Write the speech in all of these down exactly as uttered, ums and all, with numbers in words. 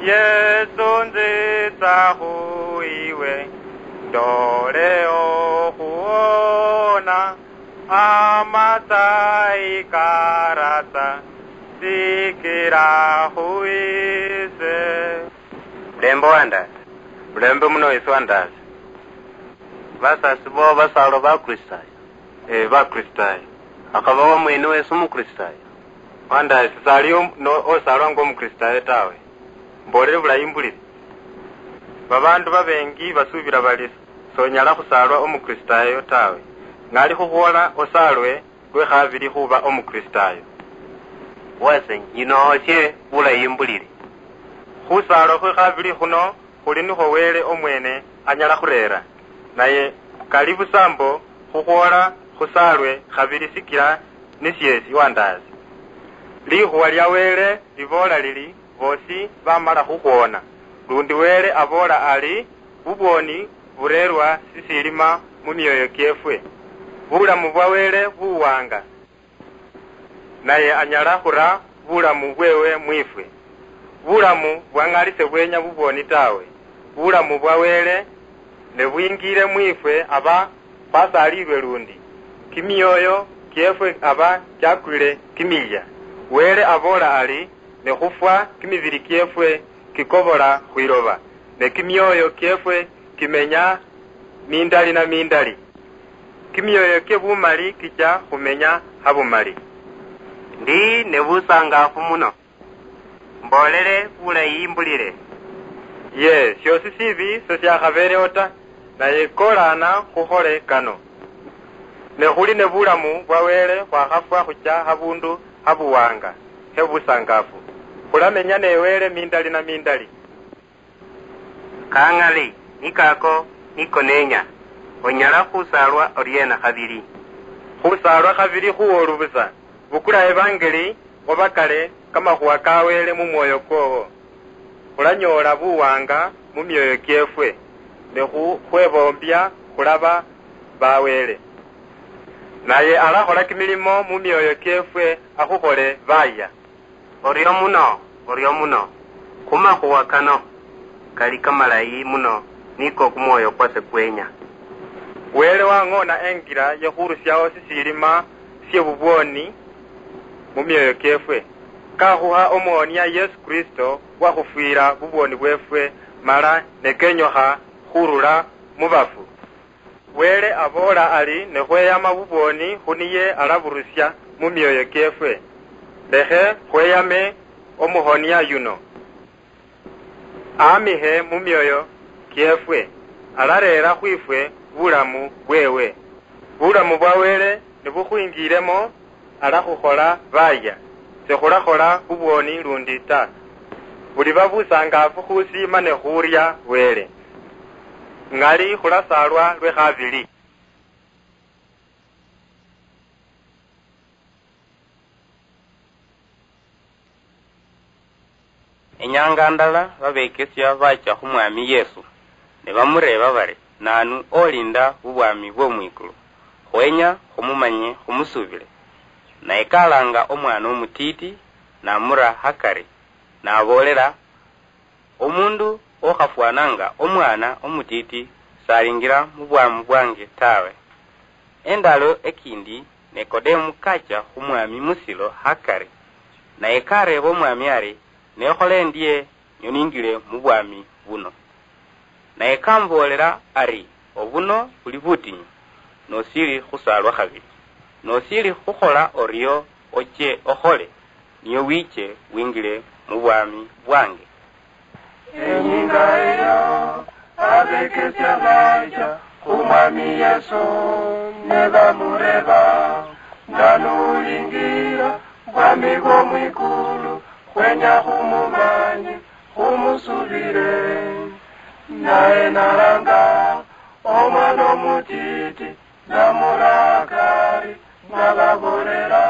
Yesu, nzitsa khuiwe, ndole okhuona, amatsayi karatsa, sikira khuise. Mulembe wandasi. Mulembe muno Yesu wandasi. Basasi bo basalwa Bakristayo? Ee, Bakristayo. Akhaba wamwene wesi Omukristayo? Wandasi, sali om-, no-, osalwa nga Omukristayo tawe. Mbolere bulayi mbulire. Babandu babengi basubira bali sonyala khusalwa Omukristayo tawe. Ng'ali khukhwola osalwe lwe khabili khuba Omukristayo. Wase, nyinoosie bulayi mbulire. Khusaalwa khwe khabili khuno khuli nikhwo Wele omwene anyala khurera. Naye kali busa mbo khukhwola khusaalwe khabili sikila nisie siwandaasi. Likhuwa lia Wele liboola lili, boosi bamala khukhwona. Lundi Wele aboola ali, bubwoni bureerwa sisilima mu mioyo kiefwe. Bulamu bwa Wele buwanga, naye anyala khura bulamu bwewe mwifwe. Bulamu bwang'ali sebwenya bubwoni tawe. Bulamu bwa Wele ne bwingiile mwifwe, aba khwasaalilwe lundi. Kimioyo kiefwe aba kiakwile kimilya. Wele aboola ali, ne khufwa kimibili kiefwe kikobola khwiloba, ne kimioyo kiefwe kimenya mindali na mindali. Kimioyo kie bumali kicha khumenya habumali. Ndi ne busangafu muno. Mboolele bulayi imbulile. Ye, siosi sibi sesiakhabeeleho ta, naye kolaana khukhole kano. Ne khuli ne bulamu bwa Wele khwakhafwa khucha habundu habuwanga he busangafu. Khulamenya ne Wele mindali na mindali. Kang'ali, ni kako niko nenya. Onyala khusaalwa oriena khabili? Khusaalwa khabili khuwolu busa. Bukula evangeli, obakale kamakhuwa ka Wele mu mwoyo kwowo. Khulanyoola buwanga mu mioyo kiefwe, ne khu-, khweboombia khulaba ba Wele. Naye alakhola kimilimo mu mioyo kiefwe, akhukhole bayia. Orio muno, orio muno. Khumakhuwa kano kali kamalayi muno niko kumwoyo kwase kwenya. Wele wang'ona engira yekhurusiaho sisilima sie bubwoni mu mioyo kiefwe, kakhuha Omuhonia Yesu Kristo wakhufwila bubwoni bwefwe, mala ne kenyokha khurula mu bafu. Wele aboola ali, ne khweyama bubwoni khu niye alaburusia mu mioyo kiefwe. Lekhe khweyame Omuhonia yuno. Aamihe mu mioyo kiefwe, alareera khwifwe bulamu bweewe. Bulamu bwa Wele nibukhwingiilemo, alakhukhola bayia, sikhulakhola bubwoni lundi ta. Buliba busangaafu khusi mane khuria Wele. Ng'ali khulasaalwa lwe khabili. Inyanga ndala babekesia bachia khu Mwami Yesu, ne bamureeba bari, "Naanu olinda bubwami bw'omwikulu? Khwenya khumumanye khumusuubile." Naye kalaanga omwana omutiiti, namura hakari, naboolela, "Omundu okhafwananga omwana omutiiti salingira mu bwami bwange tawe." Endalo ekindi Nikodemu kacha khu Mwami musilo hakari, naye kareeba Omwami ari, "Nekhole endie nio ningile mu bwami buno?" Naye kamuboolela ari, "Obuno buli butinyu, nosili khusaalwa khabili. Nosili khukhola orio, oche okhole, nio wiche wingile mu bwami bwange." Enyinga eyo, abekesia bacha khu Mwami Yesu, ne bamureeba, "Naanu ulingira bwami bwo mwikulu? Khwenya khumumanye, khumusuubile." Naye nalanga omwana omutiiti, namura hakari, nababoolera,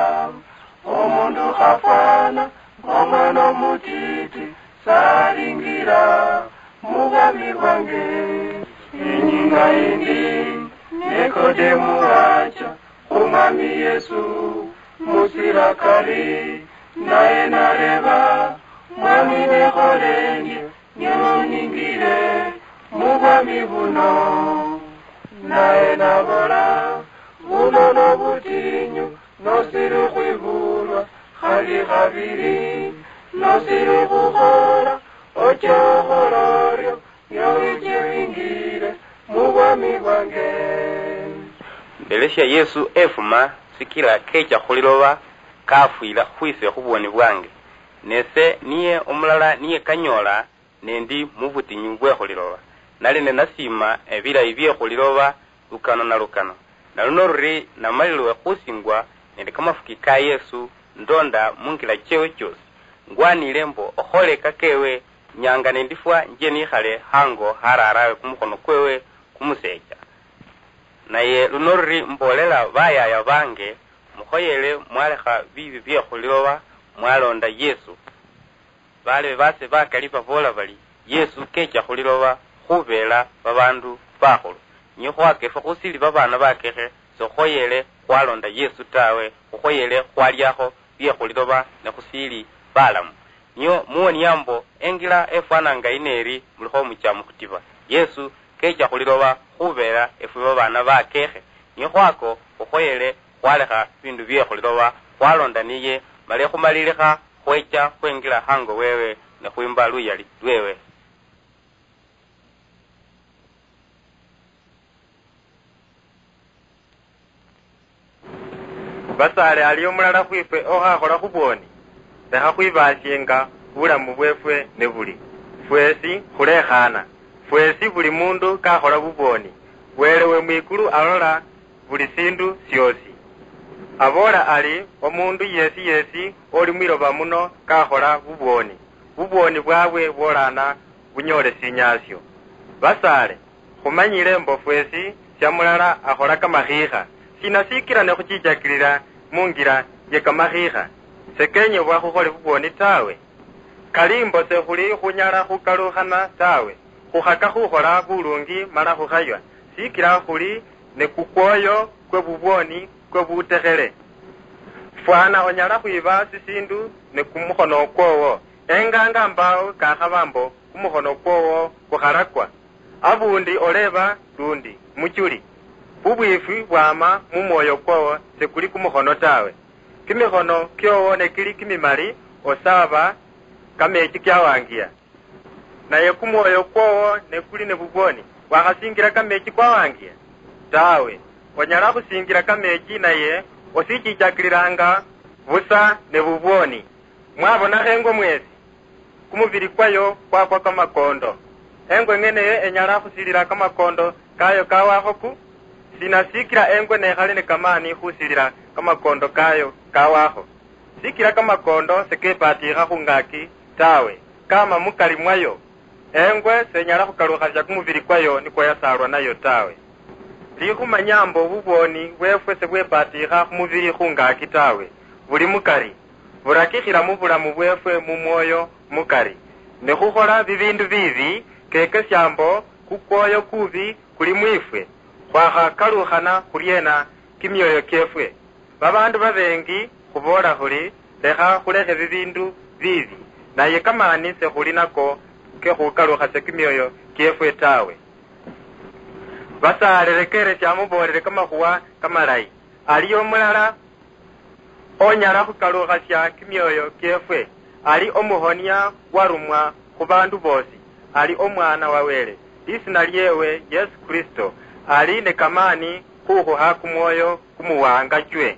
"Omundu khafwana ng'omwana omutiiti salingira mu bwami bwange." Inyinga yindi, Nikodemu wacha khu Mwami Yesu musilo hakari, naye nareeba, "Mwami, nekhole endie Biri, nosiri khukhola, ocha okhola orio, nio wiche wingire mubwami bwange. Mbelesia Yesu efuma, sikila kecha khuliloba, kafwila khwise khubwoni bwange. Nese niye omulala niye kanyola, nendi mubutinyu bwekhuliloba. Nali ninasiima ebilayi byekhuliloba lukano na lukano. Naluno luri namalilwe khusingwa nende kamafuki ka Yesu, ndonda mungila chewe chiosi. Ngwanile mbo okhole kakewe, nyanga nendifwa nje nikhale hango hararawe kumukhono kwewe kumusecha. Naye luno luri mbolela bayaya bange, mukhoyele mwalekha bibi byekhuliloba, mwalonda Yesu. Balebe base bakali baboola bali, Yesu kecha khuliloba khubeela babaandu bakhulu. Niyo khwaka efwe khusili babaana bakekhe, sekhukhoyele khwalonda Yesu tawe, khukhoyele khwaliakho byekhuliloba ne khusili balamu. Niyo muwonia mbo engila efwananga yino eri, mulikho mucha mukhutiba. Yesu kecha khuliloba khubeela efwe babaana bakekhe. Niyo khwako khukhoyele khwalekha bindu byekhuliloba, khwalonda niye, male khumalilikha khwecha khwengila hango wewe ne khwimba luyali lwewe. Basaale, ali omulala khwifwe okhakhola khubwoni? Lekha khwibaasienga bulamu bweefwe nibuli. Fweesi khulekhaana. Fweesi buli muundu kakhola bubwoni. Wele we mwikulu alola buli siindu syoosi. Aboola ali, omuundu yeesi yeesi oli mwiloba muno kakhola bubwoni, bubwoni bwaabwe bwolaana bunyoole sinyaasyo. Basaale, khumanyile mbo fweesi sya mulala akhola kamakhiikha. Sina sikila ne khuchichakilila mu ngila ye kamakhiikha? Sekenyebwa khukhole bubwoni tawe. Kali mbo sekhuli khunyala khukalukhana tawe, khukhaka khukhola bulungi mala khukhaywa, sikila khuli ne kukwoyo kwe bubwoni kwe butekhele. Fwana onyala khwiba sisiindu ne kumukhono kwoowo, enganga mbaawo kakhaba mbo kumukhono kwoowo kukhalakwa. Abuundi oleeba lundi, muchuli, bubwiifwi bwama mu mwoyo kwoowo, sekuli kumukhono tawe. Kimikhono kyoowo ne kili kimimali, osaaba kameechi kyawangiya. Naye kumwoyo kwoowo ne kuli ne bubwoni, bwakhasingila kameechi kwawangiya? Tawe. Onyala khusingila kameechi naye osichichakililanga busa ne bubwoni. Mwabonakho engwe mweesi? Kumubili kwayo kwakwa kamakondo. Engwe eng'ene eyo enyala khusilila kamakondo kayo kawakho ku? Sina sikila engwe nekhali ne kamaani khusilila kamakondo kayo kawakho? Sikila kamakondo sekepatiikha khungaaki tawe, kama mukari mwayo. Engwe senyala khukalukhasia kumubili kwayo nikwo yasaalwa nayo tawe. Likhumanya mbo bubwoni bweefwe sebwepatiikha khumubili khungaaki tawe, buli mukari. Burakikhila mu bulamu bweefwe mu mwoyo mukari. Ne khukhola bibiindu biibi, kekesia mbo kukwoyo kuubi kuli mwiifwe. Khwakhakalukhana khuryeena kimyoyo kyeefwe? Babaandu babeengi khuboola khuli, lekha khulekhe bibiindu biibi, naye kamaani sekhuli nako ke khukalukhasia kimyoyo kyeefwe tawe. Basaale, lekeresia muboolele kamakhuwa kamalayi. Aliyo mulala onyala khukalukhasia kimyoyo kyeefwe. Ali omuhonia warumwa khu baandu boosi. Ali Omwaana wa Wele. Lisiina lyeewe Yesu Kristo. Ali ne kamaani khukhuha kumwoyo kumuwangachwe.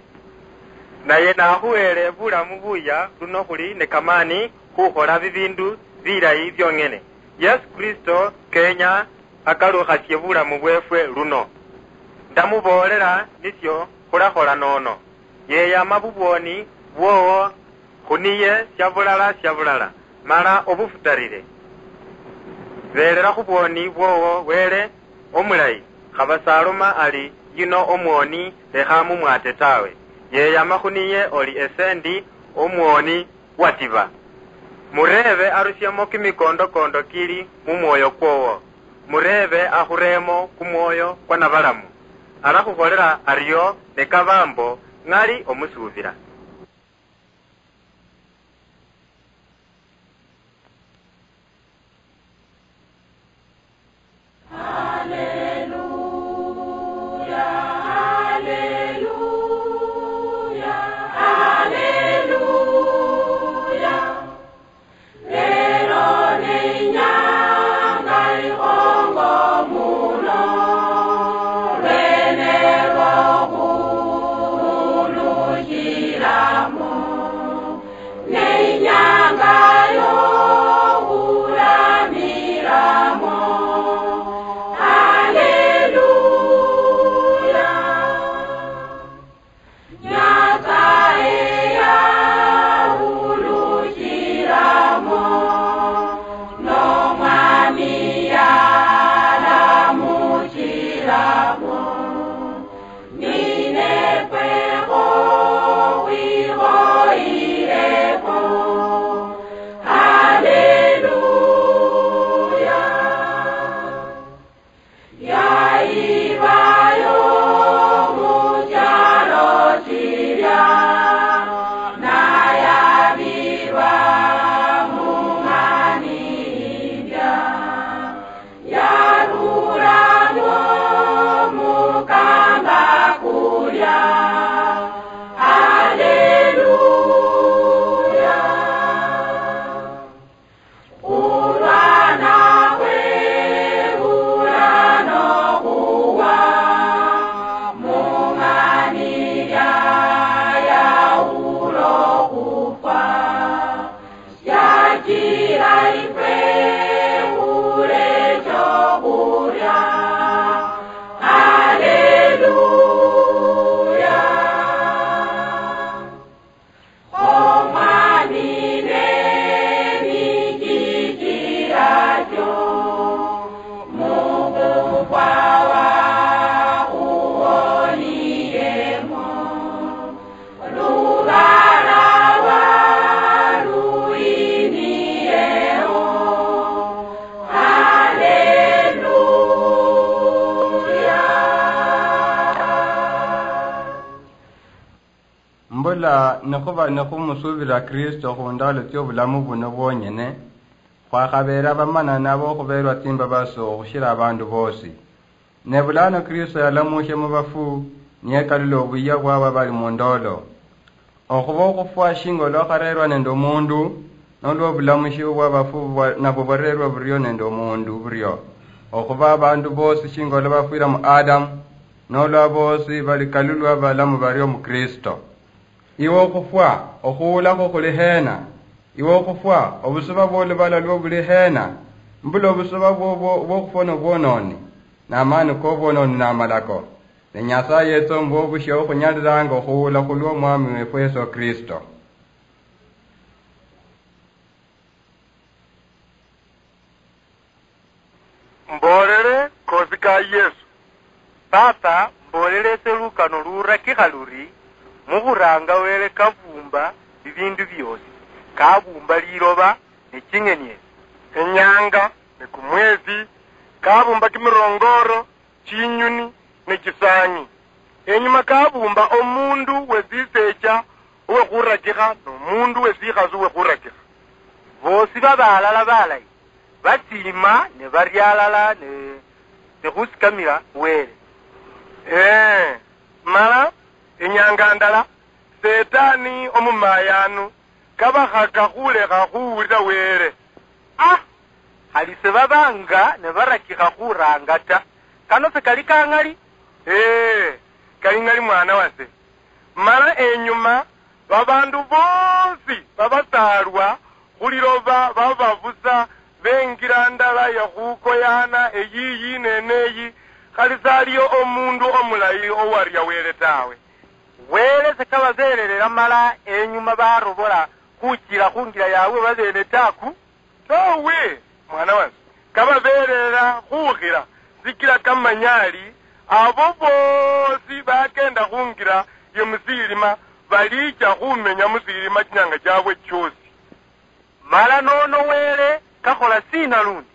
Naye nakhuheele bulamu buya luno khuli ne kamaani khukhola bibiindu bilayi byong'ene. Yesu Kristo kenya akalukhasie bulamu bweefwe luno. Ndamuboolela nisyo khulakhola nono. Yeyama bubwoni bwoowo khu niye syabulala syabulala, mala obufutarire. Beelela khu bwoni bwoowo Wele omulayi, khaba s'aloma ali, "Yuno omwoni, lekha mumwate tawe." Yeyama khu niye oli ese ndi omwoni watiba. Mureebe arusiemo kimikondokondo kili mu mwoyo kwowo. Mureebe akhureemo kumwoyo kwa nabalamu. Alakhukholela ario ne kaba mbo ng'ali omusuubila. Ela nikhuba nikhumusuubila Kristo khundaalo tsio'bulamu buno bwonyene, khwakhabeera abamanani abokhubeerwa tsimbabasi okhushila abandu boosi. Ne bulano Kristo yalamuushia mubafu, niyekalula obuyia bwabo abali mundoolo. Okhuba okhufwa shinga olwakhareerwa nende omundu, nolwa obulamushi obwabafu bwa-, nabwo bwareerwa burio nende omundu burio, okhuba abandu boosi shinga olwa bafwira mu Adamu, nolwa boosi balikalulwa balamu bario mu Kristo. Iwe okhufwa, okhuulakho khuli heena? Iwe okhufwa, obusuba bw'olubala lwo buli heena? Mbula obusuba bwobwo obw'okhufwa nobwonooni, n'amaani k'obwonooni n'amalako. Ne Nyasaye yetsa omuba obushia okhunyalilanga okhuula khulwa Omwami wefu Yeso Kristo. Mboolele koosi ka Yesu. Papa, mboolele ese lukano lurakikha luri, mukhuranga Wele kabuumba bibiindu byoosi, kabuumba liloba ne ching'eni esi, inyanga ne kumwesi, kabuumba kimirongooro, chinyuni ne chisaang'i. Enyuma kabuumba omuundu we tsiseecha owe khurakikha nomuundu we tsikhasi owe khurakikha. Boosi baba alala balayi, batsiima ne baria alala ne, ne khusikamila Wele. Ee, mala inyanga ndala, Setani omumayaanu kabakhaka khulekha khuwulila Wele. Ah! Khali sibabanga nibarakikha khuraanga ta. Kano sikali ka ng'ali? Ee, kali ng'ali, mwana wase. Mala enyuma, babaandu boosi babasaalwa khuliloba baba busa bengila ndala ya khukoyaana eyiyi neene eyi, khali saliyo omuundu omulayi owaria Wele tawe. Wele sekababeelelela mala enyuma barobola khuchila khungira yaabwe babeene ta ku? Toowe, mwana wase, kababeelelela khukhila, sikila kamanya ali, abo boosi bakeenda khungira ye musiilima baliicha khumenya musiilima chinyaanga chaabwe choosi. Mala nono Wele kakhola sina lundi?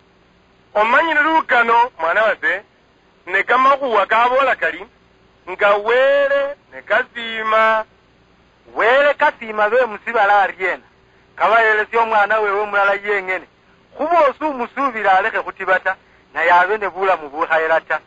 Omanyile lukano, mwana wase, ne kamakhuwa kaboola kali, nga Wele ne kasiima. Wele kasiima be musibala ariena? Kabaheelesia omwana wewe mulala yeng'ene, khu boosi umusuubila alekhe khutiba ta, naye abe ne bulamu bukhayela ta.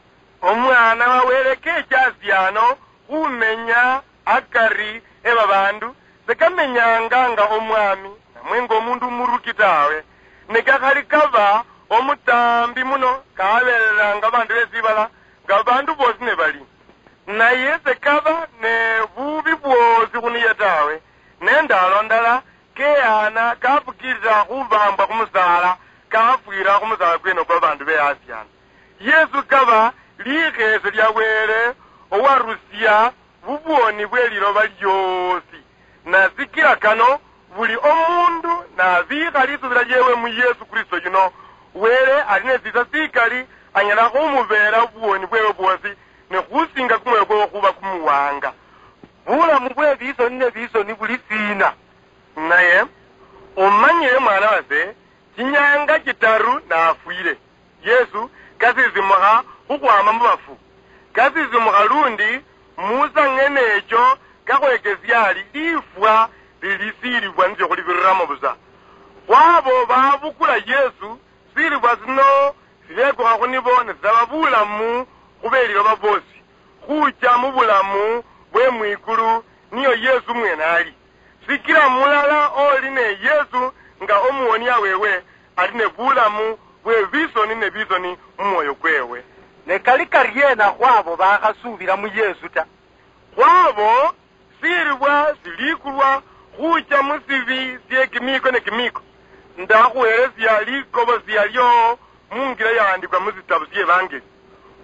Omwana wa Wele kecha asi ano khumenya akari e babaandu, sekamenyanga nga omwami, namwe nga omundu umuruki tawe. Ne kakhali kaba omutaambi muno, kahabeelelanga baandu be sibala, nga baandu boosi ne bali. Naye sekaba ne buubi bwoosi khu niye tawe, ne ndaalo ndala keyana kafukiilila khubaambwa khu musaala, kafwiila khu musaala kweene okwo babaandu be Asiana. Yesu kaba likheese lya Wele owarusia bubwoni bwe liloba lyoosi. Na sikila kano, buli omuundu nabiikha lisuubila lyeewe mu Yesu Kristo yuno, Wele ali ne siisa sikali anyala khumubeela bubwoni bweewe bwoosi, ne khusinga kumwoyo kweewe khuba kumuwanga. Bulamu bwe bisoni ne bisoni buli siina? Naye, omanyile mwana wase, chinyaanga chitaru nafwile. Yesu kasisimukha khukhwama mu bafu. Kasisimukha lundi, musa ng'ene echo kakhwekesia ali lifwa lili silifwa nisyo khulibiriramo busa. Khwabo babukula Yesu, silifwa sino silekukha khu nibo ne sisaba bulamu khu beliloba boosi, khucha mu bulamu bwe mwikulu, niyo Yesu mwene ali. Sikila mulala oli ne Yesu nga omuwonia wewe, ali ne bulamu bwe bisoni ne bisoni mu mwoyo kwewe. Ne kali kariena khwabo bakhasuubila mu Yesu ta? Khwabo, silibwa silikulwa khucha mu sibi sie kimiiko ne kimiiko. Ndakhuhelesia likobosia lio mu ngila yahandikwa mu sitabu sie Evangeli.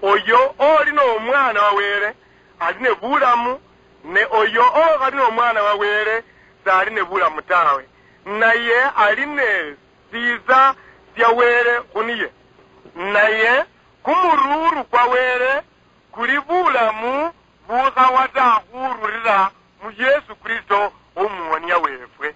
Oyo oli no Omwana wa Wele, ali ne bulamu, ne oyo okhali n'omwana wa Wele, sali ne bulamu tawe, naye ali ne tsiitsa tsia Wele khu niye. Naye kumuruuru kwa Wele kuli bulamu bukhawa ta khurulila mu Yesu Kristo Omuwonia wefwe.